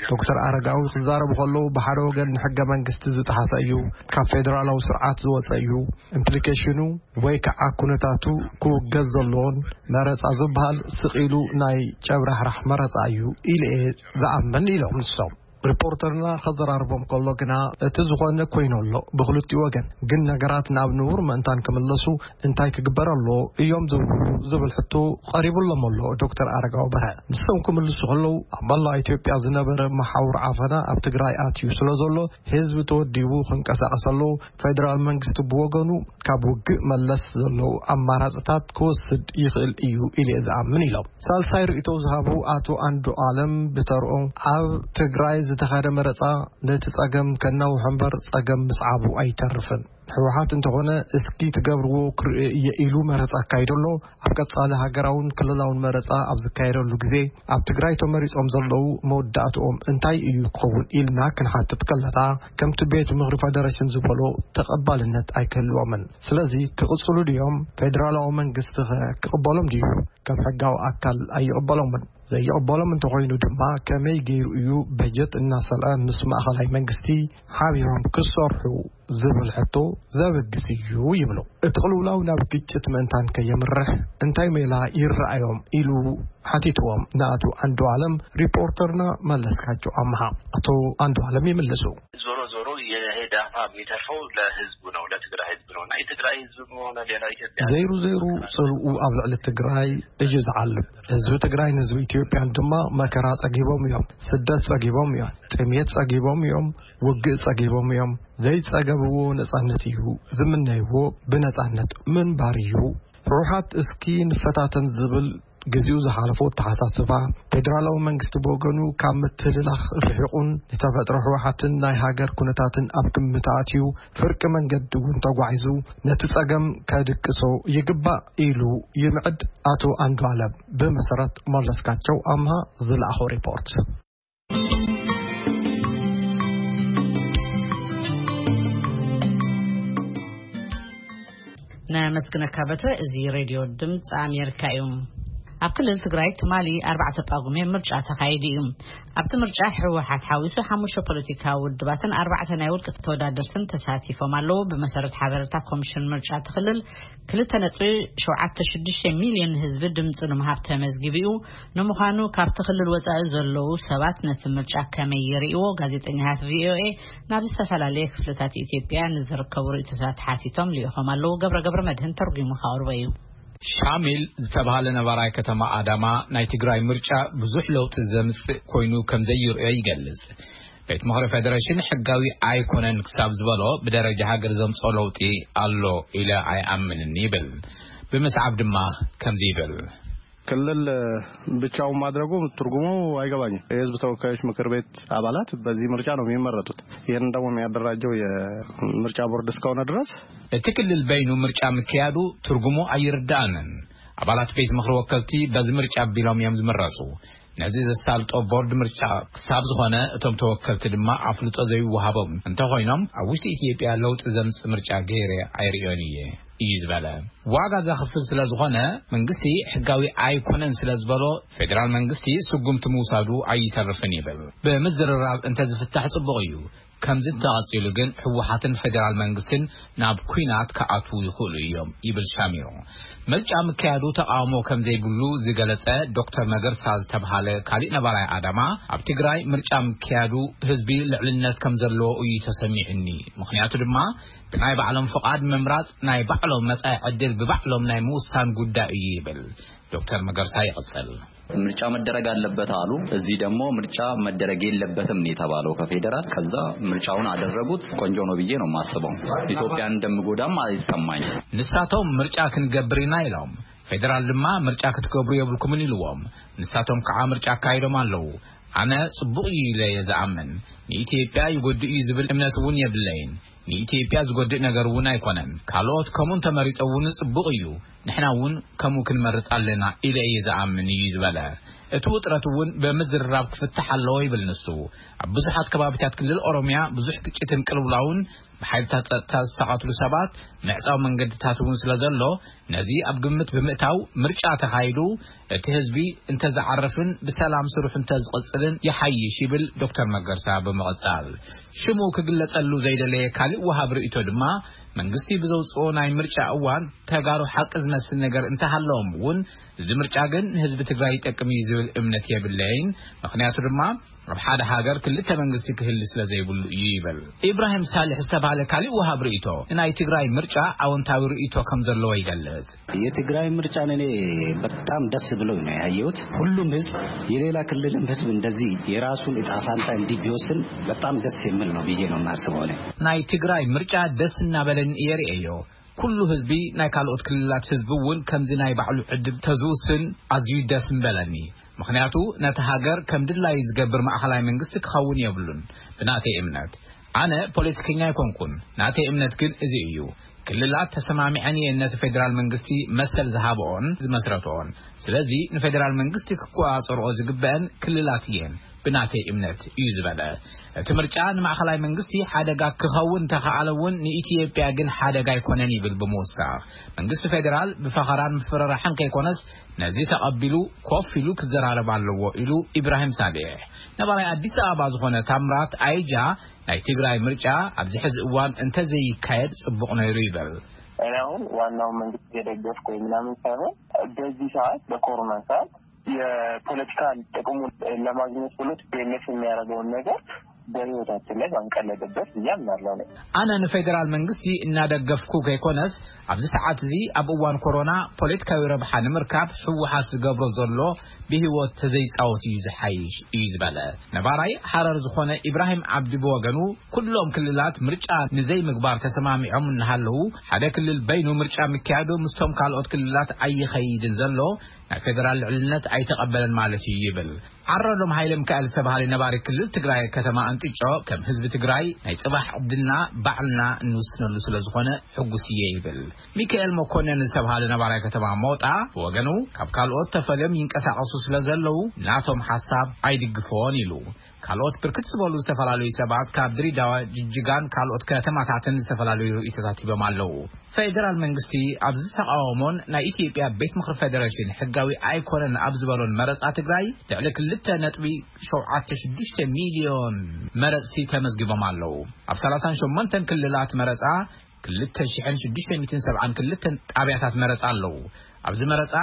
ዶክተር ኣረጋዊ ክዛረቡ ከለዉ ብሓደ ወገን ንሕገ መንግስቲ ዝጠሓሰ እዩ፣ ካብ ፌደራላዊ ስርዓት ዝወፀ እዩ፣ ኢምፕሊኬሽኑ ወይ ከዓ ኩነታቱ ክውገዝ ዘለዎን መረፃ ዝበሃል ስቕ ኢሉ ናይ ጨብራሕራሕ መረፃ እዩ ኢለ እየ ዝኣምን ኢሎም ንሶም። ሪፖርተርና ከዘራርቦም ከሎ ግና እቲ ዝኾነ ኮይኑ ኣሎ ብክልቲኡ ወገን፣ ግን ነገራት ናብ ንቡር ምእንታን ክምለሱ እንታይ ክግበር ኣሎ እዮም ዝብሉ ዝብል ሕቶ ቀሪቡሎም ኣሎ ዶክተር ኣረጋዊ በርሀ። ንሶም ክምልሱ ከለዉ ኣብ መላእ ኢትዮጵያ ዝነበረ መሓውር ዓፈና ኣብ ትግራይ ኣትዩ ስለ ዘሎ ህዝቢ ተወዲቡ ክንቀሳቀስ ኣለዎ። ፌደራል መንግስቲ ብወገኑ ካብ ውግእ መለስ ዘለዉ ኣማራፅታት ክወስድ ይኽእል እዩ ኢለ ዝኣምን ኢሎም። ሳልሳይ ርእይቶ ዝሃቡ ኣቶ ኣንዱ ኣለም ብተርኦም ኣብ ትግራይ ዝተኻደ መረፃ ነቲ ጸገም ከናውሖ እምበር ጸገም ምስዓቡ ኣይተርፍን። ህወሓት እንተኾነ እስኪ ትገብርዎ ክርኢ እየ ኢሉ መረፃ ኣካይዶ ኣሎ። ኣብ ቀጻሊ ሃገራውን ክልላውን መረፃ ኣብ ዝካየደሉ ግዜ ኣብ ትግራይ ተመሪጾም ዘለዉ መወዳእትኦም እንታይ እዩ ክኸውን ኢልና ክንሓትት ከለና ከምቲ ቤት ምኽሪ ፈደረሽን ዝበሎ ተቐባልነት ኣይክህልዎምን። ስለዚ ክቕጽሉ ድዮም? ፌደራላዊ መንግስቲ ኸ ክቕበሎም ድዩ? ከም ሕጋዊ ኣካል ኣይቕበሎምን። ዘይቕበሎም እንተኾይኑ ድማ ከመይ ገይሩ እዩ በጀት እናሰልዐ ምስ ማእኸላይ መንግስቲ ሓቢሮም ክሰርሑ ዝብል ሕቶ ዘበግስ እዩ ይብሉ። እቲ ቅልውላው ናብ ግጭት ምእንታን ከየምርሕ እንታይ ሜላ ይረኣዮም ኢሉ ሓቲትዎም ንኣቶ ኣንዱ ኣለም ሪፖርተርና መለስካቸው ኣምሃ። ኣቶ ኣንዱ ኣለም ይምልሱ። ዞሮ ዞሮ ይሄ ዳፋ የሚተርፈው ለህዝቡ ነው፣ ለትግራይ ህዝብ ነው። እና የትግራይ ህዝብ ሆነ ሌላው ኢትዮጵያ ዘይሩ ዘይሩ ጽልኡ ኣብ ልዕሊ ትግራይ እዩ ዝዓልብ። ህዝቢ ትግራይን ህዝቢ ኢትዮጵያን ድማ መከራ ጸጊቦም እዮም፣ ስደት ጸጊቦም እዮም፣ ጥሜት ጸጊቦም እዮም፣ ውግእ ጸጊቦም እዮም። ዘይጸገብዎ ነጻነት እዩ፣ ዝምነይዎ ብነጻነት ምንባር እዩ። ህወሓት እስኪ ንፈታተን ዝብል ግዜኡ ዝሓለፎ ኣተሓሳስባ፣ ፌደራላዊ መንግስቲ ብወገኑ ካብ ምትልላኽ ርሒቑን ንተፈጥሮ ህወሓትን ናይ ሃገር ኩነታትን ኣብ ግምት ኣትዩ ፍርቂ መንገዲ እውን ተጓዒዙ ነቲ ጸገም ከድቅሶ ይግባእ ኢሉ ይምዕድ ኣቶ ኣንዱኣለም። ብመሰረት መለስካቸው ኣምሃ ዝለኣኾ ሪፖርት። ነመስግነካ በትረ። እዚ ሬድዮ ድምፂ ኣሜሪካ እዩ። ኣብ ክልል ትግራይ ትማሊ ኣርባዕተ ጳጉሜ ምርጫ ተኻይዱ እዩ። ኣብቲ ምርጫ ህወሓት ሓዊሱ ሓሙሽተ ፖለቲካዊ ውድባትን ኣርባዕተ ናይ ውልቂ ተወዳደርትን ተሳቲፎም ኣለዉ። ብመሰረት ሓበሬታ ኮሚሽን ምርጫ እቲ ክልል ክልተ ነጥቢ ሸውዓተ ሽዱሽተ ሚልዮን ህዝቢ ድምፂ ንምሃብ ተመዝጊቡ እዩ። ንምዃኑ ካብቲ ክልል ወፃኢ ዘለዉ ሰባት ነቲ ምርጫ ከመይ ይርእይዎ? ጋዜጠኛታት ቪኦኤ ናብ ዝተፈላለየ ክፍልታት ኢትዮጵያ ንዝርከቡ ርእይቶታት ሓቲቶም ልኢኾም ኣለዉ። ገብረ ገብረ መድህን ተርጒሙ ከቕርቦ እዩ። ሻሚል ዝተባህለ ነባራይ ከተማ ኣዳማ ናይ ትግራይ ምርጫ ብዙሕ ለውጢ ዘምጽእ ኮይኑ ከም ዘይርእዮ ይገልጽ። ቤት ምኽሪ ፌደሬሽን ሕጋዊ ኣይኮነን ክሳብ ዝበሎ ብደረጃ ሃገር ዘምጾ ለውጢ ኣሎ ኢለ ኣይኣምንን ይብል። ብምስዓብ ድማ ከምዚ ይብል። ክልል ብቻውን ማድረጉ ትርጉሙ አይገባኝም። የህዝብ ተወካዮች ምክር ቤት አባላት በዚህ ምርጫ ነው የሚመረጡት። ይህን ደግሞ የሚያደራጀው የምርጫ ቦርድ እስከሆነ ድረስ እቲ ክልል በይኑ ምርጫ ምክያዱ ትርጉሙ ኣይርዳእንን። ኣባላት ቤት ምኽሪ ወከልቲ በዚ ምርጫ ቢሎም እዮም ዝምረጹ። ነዚ ዘሳልጦ ቦርድ ምርጫ ክሳብ ዝኾነ እቶም ተወከልቲ ድማ ኣፍልጦ ዘይወሃቦም እንተኾይኖም ኣብ ውሽጢ ኢትዮጵያ ለውጢ ዘምጽእ ምርጫ ገይረ ኣይርእዮን እየ እዩ ዝበለ። ዋጋ ዘኽፍል ስለ ዝኾነ መንግስቲ ሕጋዊ ኣይኮነን ስለ ዝበሎ ፌደራል መንግስቲ ስጉምቲ ምውሳዱ ኣይተርፍን ይብል። ብምዝርራብ እንተዝፍታሕ ጽቡቕ እዩ። ከምዚ እንተቐጺሉ ግን ህወሓትን ፌደራል መንግስትን ናብ ኲናት ክኣትዉ ይኽእሉ እዮም ይብል ሻሚሮ። ምርጫ ምክያዱ ተቓውሞ ከም ዘይብሉ ዝገለጸ ዶክተር መገርሳ ዝተብሃለ ካሊእ ነባራይ ኣዳማ ኣብ ትግራይ ምርጫ ምክያዱ ህዝቢ ልዕልነት ከም ዘለዎ እዩ ተሰሚዕኒ። ምኽንያቱ ድማ ብናይ ባዕሎም ፍቓድ ምምራጽ ናይ ባዕሎም መጻኢ ዕድል ብባዕሎም ናይ ምውሳን ጉዳይ እዩ ይብል። ዶክተር መገርሳ ይቕጽል። ምርጫ መደረግ አለበት አሉ። እዚህ ደግሞ ምርጫ መደረግ የለበትም ነው የተባለው ከፌዴራል። ከዛ ምርጫውን አደረጉት። ቆንጆ ነው ብዬ ነው የማስበው። ኢትዮጵያን እንደምጎዳም አይሰማኝም። ንሳቶም ምርጫ ክንገብር ኢና ኢሎም፣ ፌደራል ድማ ምርጫ ክትገብሩ የብልኩምን ኢልዎም። ንሳቶም ከዓ ምርጫ ኣካይዶም ኣለዉ። ኣነ ጽቡቕ እዩ ኢለ እየ ዝኣምን። ንኢትዮጵያ ይጎድእ እዩ ዝብል እምነት እውን የብለይን። ንኢትዮጵያ ዝጎድእ ነገር እውን ኣይኮነን። ካልኦት ከምኡ እንተመሪጾ እውን ጽቡቕ እዩ። ንሕና እውን ከምኡ ክንመርጽ ኣለና ኢለ እየ ዝኣምን እዩ ዝበለ። እቲ ውጥረት እውን ብምዝርራብ ክፍታሕ ኣለዎ ይብል ንሱ። ኣብ ብዙሓት ከባቢታት ክልል ኦሮምያ ብዙሕ ግጭትን ቅልውላውን ብሓይልታት ጸጥታ ዝሳቐትሉ ሰባት ምዕጻው መንገድታት እውን ስለ ዘሎ ነዚ ኣብ ግምት ብምእታው ምርጫ ተኻይዱ እቲ ህዝቢ እንተዝዓርፍን ብሰላም ስርሑ እንተዝቕጽልን ይሓይሽ ይብል ዶክተር መገርሳ ብምቕጻል። ሽሙ ክግለጸሉ ዘይደለየ ካልእ ወሃብ ርእይቶ ድማ መንግስቲ ብዘውጽኦ ናይ ምርጫ እዋን ተጋሩ ሓቂ ዝመስል ነገር እንተሃለዎም እውን እዚ ምርጫ ግን ንህዝቢ ትግራይ ይጠቅም እዩ ዝብል እምነት የብለይን። ምኽንያቱ ድማ ኣብ ሓደ ሃገር ክልተ መንግስቲ ክህሊ ስለ ዘይብሉ እዩ ይብል። ኢብራሂም ሳልሕ ዝተባህለ ካሊእ ወሃብ ርእይቶ ንናይ ትግራይ ምርጫ ኣወንታዊ ርእይቶ ከም ዘለዎ ይገልጽ። የትግራይ ምርጫ እኔ በጣም ደስ ብሎኝ ነው ያየሁት። ሁሉም ህዝብ የሌላ ክልልም ህዝብ እንደዚህ የራሱን እጣ ፋንታ እንዲህ ቢወስን በጣም ደስ የሚል ነው ብዬ ነው የማስበው እኔ። ናይ ትግራይ ምርጫ ደስ እናበለኒ እየ ርእየዮ። ኩሉ ህዝቢ ናይ ካልኦት ክልላት ህዝቢ እውን ከምዚ ናይ ባዕሉ ዕድል ተዝውስን ኣዝዩ ደስ ምበለኒ። ምኽንያቱ ነቲ ሃገር ከም ድላዩ ዝገብር ማእኸላይ መንግስቲ ክኸውን የብሉን። ብናተይ እምነት፣ ኣነ ፖለቲከኛ ኣይኮንኩን፣ ናተይ እምነት ግን እዚ እዩ። ክልላት ተሰማሚዐን እየን ነቲ ፌደራል መንግስቲ መሰል ዝሃብኦን ዝመስረትኦን። ስለዚ ንፌደራል መንግስቲ ክቆፃፀርኦ ዝግበአን ክልላት እየን ብናተይ እምነት እዩ ዝበለ። እቲ ምርጫ ንማእኸላይ መንግስቲ ሓደጋ ክኸውን እንተኸኣለ እውን ንኢትዮጵያ ግን ሓደጋ ኣይኮነን ይብል ብምውሳኽ። መንግስቲ ፌደራል ብፈኸራን ምፍርራሕን ከይኮነስ ነዚ ተቐቢሉ ኮፍ ኢሉ ክዘራረብ ኣለዎ ኢሉ ኢብራሂም ሳሌሕ። ነባራይ ኣዲስ ኣበባ ዝኾነ ታምራት ኣይጃ ናይ ትግራይ ምርጫ ኣብዚ ሕዚ እዋን እንተዘይካየድ ጽቡቕ ነይሩ ይብል። እኔ አሁን ዋናው መንግስት የደገፍኩ ወይ ምናምን ሳይሆን በዚህ ሰዓት በኮሮና ሰዓት የፖለቲካ ጥቅሙን ለማግኘት ብሎ ቲፒኤልኤፍ የሚያደርገውን ነገር በህይወታችን ላይ ባንቀለድበት ብዬ አምናለሁ። እኔ አነ ንፌዴራል መንግስቲ እናደገፍኩ ከይኮነስ፣ ኣብዚ ሰዓት እዚ ኣብ እዋን ኮሮና ፖለቲካዊ ረብሓ ንምርካብ ህወሓት ዝገብሮ ዘሎ ብህይወት ተዘይጻወት እዩ ዝሓይሽ፣ እዩ ዝበለ። ነባራይ ሓረር ዝኾነ ኢብራሂም ዓብዲ ብወገኑ፣ ኩሎም ክልላት ምርጫ ንዘይምግባር ተሰማሚዖም እናሃለዉ፣ ሓደ ክልል በይኑ ምርጫ ምክያዱ ምስቶም ካልኦት ክልላት ኣይኸይድን ዘሎ፣ ናይ ፌደራል ልዕልነት ኣይተቐበለን ማለት እዩ ይብል። ዓረሎም ሃይለ ሚካኤል ዝተባሃለ ነባሪ ክልል ትግራይ ከተማ እንጥጮ፣ ከም ህዝቢ ትግራይ ናይ ጽባሕ ዕድልና ባዕልና እንውስነሉ ስለ ዝኾነ ሕጉስ እየ ይብል። ሚካኤል መኮንን ዝተባሃለ ነባራይ ከተማ ሞጣ ብወገኑ፣ ካብ ካልኦት ተፈልዮም ይንቀሳቐሱ ስለ ዘለዉ፣ ናቶም ሓሳብ ኣይድግፎን ኢሉ። ካልኦት ብርክት ዝበሉ ዝተፈላለዩ ሰባት ካብ ድሬዳዋ፣ ጅጅጋን ካልኦት ከተማታትን ዝተፈላለዩ ርእይቶታት ሂቦም ኣለዉ። ፌደራል መንግስቲ ኣብዚ ተቃውሞን ናይ ኢትዮጵያ ቤት ምኽሪ ፌደሬሽን ሕጋዊ ኣይኮነን ኣብ ዝበሎን መረጻ ትግራይ፣ ልዕሊ ክልተ ነጥቢ ሸውዓተ ሽዱሽተ ሚልዮን መረጽቲ ተመዝጊቦም ኣለዉ። ኣብ ሰላሳን ሸሞንተን ክልላት መረጻ ክልተ ሽሕን ሽዱሽተ ሚእትን ሰብዓን ክልተን ጣብያታት መረጻ ኣለዉ። ኣብዚ መረጻ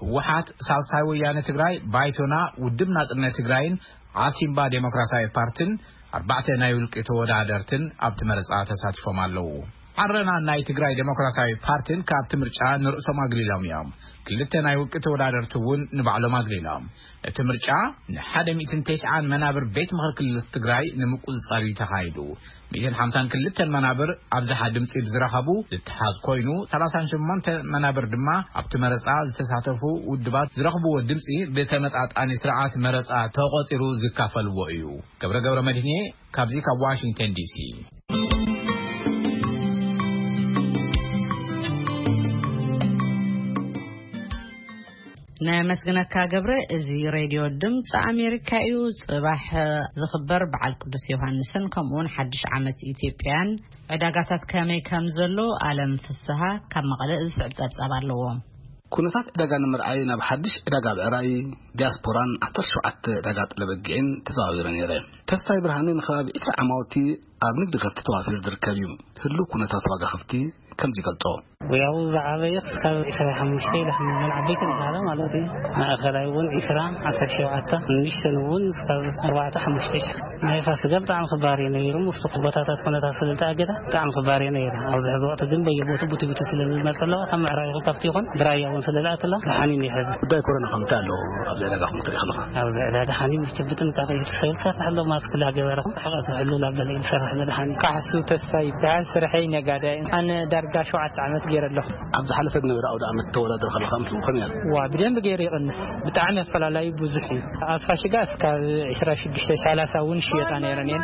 ህወሓት፣ ሳልሳይ ወያነ ትግራይ፣ ባይቶና፣ ውድብ ናጽነት ትግራይን ዓሲምባ ዴሞክራሲያዊ ፓርትን ኣርባዕተ ናይ ውልቂ ተወዳደርትን ኣብቲ መረጻ ተሳቲፎም ኣለዉ። ዓረና ናይ ትግራይ ዴሞክራሲያዊ ፓርትን ካብቲ ምርጫ ንርእሶም ኣግሊሎም እዮም። ክልተ ናይ ውልቂ ተወዳደርቲ እውን ንባዕሎም ኣግሊሎም። እቲ ምርጫ ንሓደ ሚእትን ተስዓን መናብር ቤት ምኽሪ ክልል ትግራይ ንምቁጽጻር እዩ ተኻይዱ። ሚእትን ሓምሳን ክልተን መናብር ኣብዝሓ ድምጺ ብዝረኸቡ ዝተሓዝ ኮይኑ፣ ሰላሳን ሸሞንተ መናብር ድማ ኣብቲ መረጻ ዝተሳተፉ ውድባት ዝረኽብዎ ድምጺ ብተመጣጣኒ ስርዓት መረጻ ተቖጺሩ ዝካፈልዎ እዩ። ገብረ ገብረ መድህኔ ካብዚ ካብ ዋሽንግተን ዲሲ። ነመስግነካ ገብረ። እዚ ሬድዮ ድምፂ ኣሜሪካ እዩ። ፅባሕ ዝኽበር በዓል ቅዱስ ዮሃንስን ከምኡውን ሓድሽ ዓመት ኢትዮጵያን ዕዳጋታት ከመይ ከም ዘሎ ኣለም ፍስሃ ካብ መቐለ ዝስዕብ ፀብፃብ ኣለዎ። ኩነታት ዕዳጋ ንምርኣይ ናብ ሓድሽ ዕዳጋ ብዕራይ ዲያስፖራን ዓሰርተ ሸውዓተ ዕዳጋ ጠለበጊዕን ተዘዋዊረ ነይረ። ተስፋይ ብርሃነ ንከባቢ ዕስራ ዓማውቲ ኣብ ንግዲ ከፍቲ ተዋፊሩ ዝርከብ እዩ። ህሉው ኩነታት ዋጋ ከፍቲ ከምዚ ይገልጾ። ያው ዝዓበየ ክሳብ ዕስራ ሓሙሽተ ኢለ ክምመን ዓበይቲ ንባህላ ማለት እዩ። ማእኸላይ እውን ዕስራ፣ ዓሰርተ ሸውዓተ፣ ንእሽተን እውን ክሳብ ኣርባዕተ፣ ሓሙሽተ ሺሕ። ናይ ፋሲጋ ብጣዕሚ ክባር እዩ ነይሩ። ምስቲ ቦታታት ኩነታት ስለ ዝተኣገደ ብጣዕሚ ክባር እዩ ነይሩ። ኣብዚ ሕዚ ወቕቲ ግን በየቦቱ ቡቲ ቡቲ ስለ ዝመጸ ኣለዋ፣ ካብ ምዕራብ ይኹን ካብቲ ይኹን ብራያ እውን ስለ ዝኣትላ ደሓን እዩ ነይሩ። ሕዚ ጉዳይ ኮሮና ከምታይ ኣሎ ኣብዚ ዕዳጋኹም ትርኢ ከለኻ? ኣብዚ ዕዳጋ ሓኒ ምችብትን እንታይ ከይዱ ሰብ ዝሰርሕ ኣሎ፣ ማስክ ላገበረ፣ ሕቐ ዝሕሉ ላበለ እዩ ዝሰርሕ ዘሎ ሓኒ። ካሕሱ ተስፋ ይበሃል፣ ስርሐይ ነጋዳይ። ኣነ ዳርጋ ሸውዓተ ዓመት ገይረ ኣለኹ። ኣብ ዝሓለፈ ዝነበረ ኣውደ ዓመት ተወዳድር ከለኻ ምስኡ ከመይ ነይሩ? ዋ፣ ብደንብ ገይሩ ይቕንስ። ብጣዕሚ ኣፈላላዩ ብዙሕ እዩ። ኣብ ፋሽጋ እስካብ ዕስራ ሽዱሽተ ሰላሳ እውን ሽየጣ ነይረን እየን።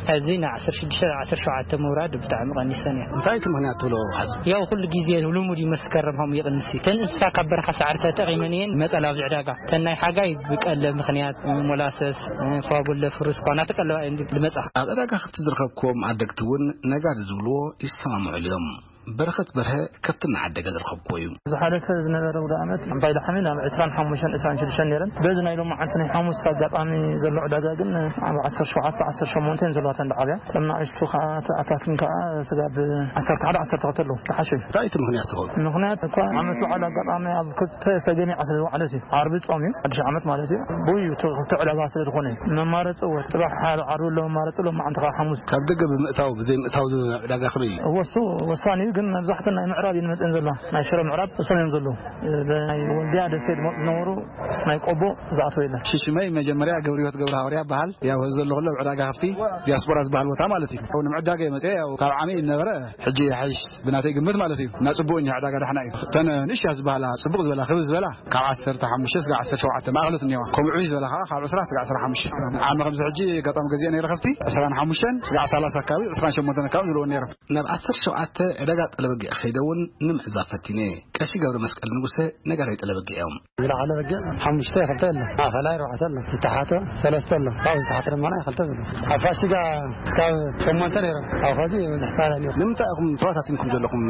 ሕዚ ንዓሰርተ ሽዱሽተ፣ ዓሰርተ ሸውዓተ ምውራድ ብጣዕሚ ቀኒሰን እየን። እንታይ እቲ ምኽንያት ትብሎ ሓዚ? ያው ኩሉ ግዜ ልሙድ እዩ መስከረም ከምኡ ይቕንስ እዩ። ተን እንስሳ ካብ በረኻ ሳዕሪ ተጠቒመን እየን መጸላ ኣብዚ ዕዳጋ። ተን ናይ ሓጋይ ብቀለብ ምኽንያት ሞላሰስ፣ ፋጉለ፣ ፍሩስ እኳ እናተቀለባ እየን ዝመጻ። ኣብ ዕዳጋ ከብቲ ዝረኸብክዎም ዓደግቲ እውን ነጋዲ ዝብልዎ ይሰማምዑሉ እዮም። በረኸት በርሀ ከብቲ እናዓደገ ዝረኸብክዎ እዩ። ዝሓለፈ ዝነበረ ውደ ዓመት ዓባይ ላሕሚ ናብ ዕስራን ሓሙሽተን፣ ዕስራን ሽዱሽተን ነይረን። በዚ ናይ ሎማዓንቲ ናይ ሓሙስ ኣጋጣሚ ዘሎ ዕዳጋ ግን ኣብ ዓሰርተ ሸውዓተ፣ ዓሰርተ ሸሞንተ እየን ዘለዋ እተን ዝዓብያ። እቶም ንኣሽቱ ከዓ፣ ኣታትን ከዓ ስጋብ ዓሰርተ ሓደ፣ ዓሰርተ ክልተ ኣለዉ። ዝሓሸ እዩ። እንታይ እቲ ምኽንያት ትኸውን? ምኽንያት እኳ ዓመት በዓል ኣጋጣሚ ኣብ ክልተ ሰገሚዓ ስለ ዝወዓለት እዩ። ዓርቢ ጾም እዩ፣ ሓድሽ ዓመት ማለት እዩ። ብኡ እዩ እቲ ክልተ ዕዳጋ ስለ ዝኾነ እዩ። መማረፂ እወ፣ ጽባሕ ሓደ ዓርቢ ኣሎ መማረፂ፣ ሎማዓንቲ ከዓ ሓሙስ። ካብ ደገ ብምእታው ብዘይ ምእታው ዝህብ ዕዳጋ ከመይ እዩ? እወ፣ እሱ ወሳኒ እዩ፣ ግን መብዛሕትኡ ናይ ምዕራብ እዩ ዝመፅእን ዘሎ። ናይ ሽረ ምዕራብ እሶም እዮም ዘለዉ። ናይ ወልድያ ደሴ ዝመፁ ዝነበሩ ናይ ቆቦ ዝኣተወ የለን። ሽሽመይ መጀመርያ ገብረ ህይወት ገብረ ሃዋርያ ይበሃል። ያው እዚ ዘለኹ ኣብ ዕዳጋ ከፍቲ ዲያስፖራ ዝበሃል ቦታ ማለት እዩ። ያው ንምዕዳጋ እየ መፅአ፣ ያው ካብ ዓመይ ዝነበረ ሕጂ ይሓይሽ ብናተይ ግምት ማለት እዩ። እና ፅቡቅ እኒሀ ዕዳጋ ዳሕና እዩ። እተን ንእሽያ ዝበሃላ ፅቡቅ ዝበላ ክብ ዝበላ ካብ ዓሰርተ ሓሙሽተ ስጋዕ ዓሰርተ ሸውዓተ ማእኸሎት እኒዋ። ከምኡ ዕብይ ዝበላ ከዓ ካብ ዕስራ ስጋዕ ዕስራ ሓሙሽተ። ዓመ ከምዚ ሕጂ ኣጋጣሚ ገዚአ ነይረ ከፍቲ ዕስራን ሓሙሽተን ስጋዕ ሰላሳ ኣካባቢ፣ ዕስራን ሸሞንተን ኣካባቢ ዝብልዎ ነይረ። ናብ ዓሰርተ ሸውዓተ ዕዳጋ ጠለበጊዕ ከይደ እውን ንምዕዛብ ፈቲነ። ቀሺ ገብረ መስቀል ንጉሰ ነጋዳይ ጠለበጊዕ እዮም። ዝለዓለ በጊዕ ሓሙሽተ ክልተ ኣሎ፣ ማእኸላይ ኣርባዕተ ኣሎ፣ ዝተሓተ ሰለስተ ኣሎ፣ ካብኡ ዝተሓተ ድማ ናይ ክልተ ዘሎ። ኣብ ፋሲጋ ካብ ሸሞንተ ነይሮም፣ ኣብ ኸዚ ንሕፋላ ነይሩ። ንምንታይ ኢኹም ተባታቲንኩም ዘለኹም?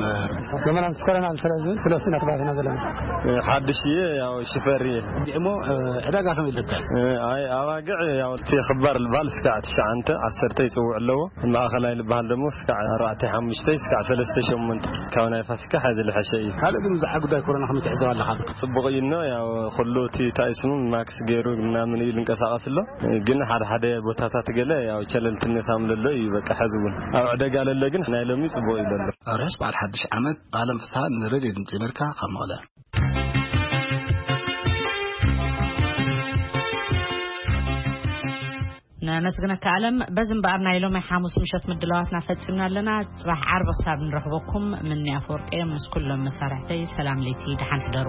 ዘመናዊ ስኮረና ስለ ዝብል ስለ እሱ ኢና ተባታቲና ዘለና። ሓድሽ እየ፣ ያው ሽፈር እየ። እሞ ዕዳጋ ከመይ ይርከብ? ኣይ ኣባግዕ ያው እቲ ክባር ልበሃል እስካዕ ትሽዓንተ ዓሰርተ ይፅውዕ ኣለዎ። ማእኸላይ ልበሃል ደሞ እስካዕ ኣርባዕተ ሓሙሽተ እስካዕ ሰለስተ ሸሞንተ ካብ ናይ ፋሲካ ሓዚ ዝለሐሸ እዩ። ካልእ ግን ብዛዕባ ጉዳይ ኮሮና ከመይ ትዕዘብ ኣለኻ? ጽቡቕ እዩ እኖ፣ ያው ኩሉ እቲ እንታይ ስሙ ማክስ ገይሩ ምናምን እዩ ዝንቀሳቐስ ኣሎ። ግን ሓደ ሓደ ቦታታት ገለ ያው ቸለልትነት ኣምለሎ እዩ። በቃ፣ ሕዚ እውን ኣብ ዕደጋ ለለ ግን ናይ ሎሚ ጽቡቕ እዩ ዘሎ። ርሑስ በዓል ሓድሽ ዓመት። ኣለም ፍስሃ ንሬድዮ ድምጺ ኣሜሪካ ካብ መቐለ። ነመስግነካ ኣለም። በዚ እምበኣር ናይ ሎሚ ሓሙስ ምሸት ምድላዋትና ፈጺምና ኣለና። ጽባሕ ዓርቢ ክሳብ ንረኽበኩም ምኒ ኣፈወርቂ ምስ ኩሎም መሳርሕተይ ሰላም ለይቲ፣ ደሓን ሕደሩ።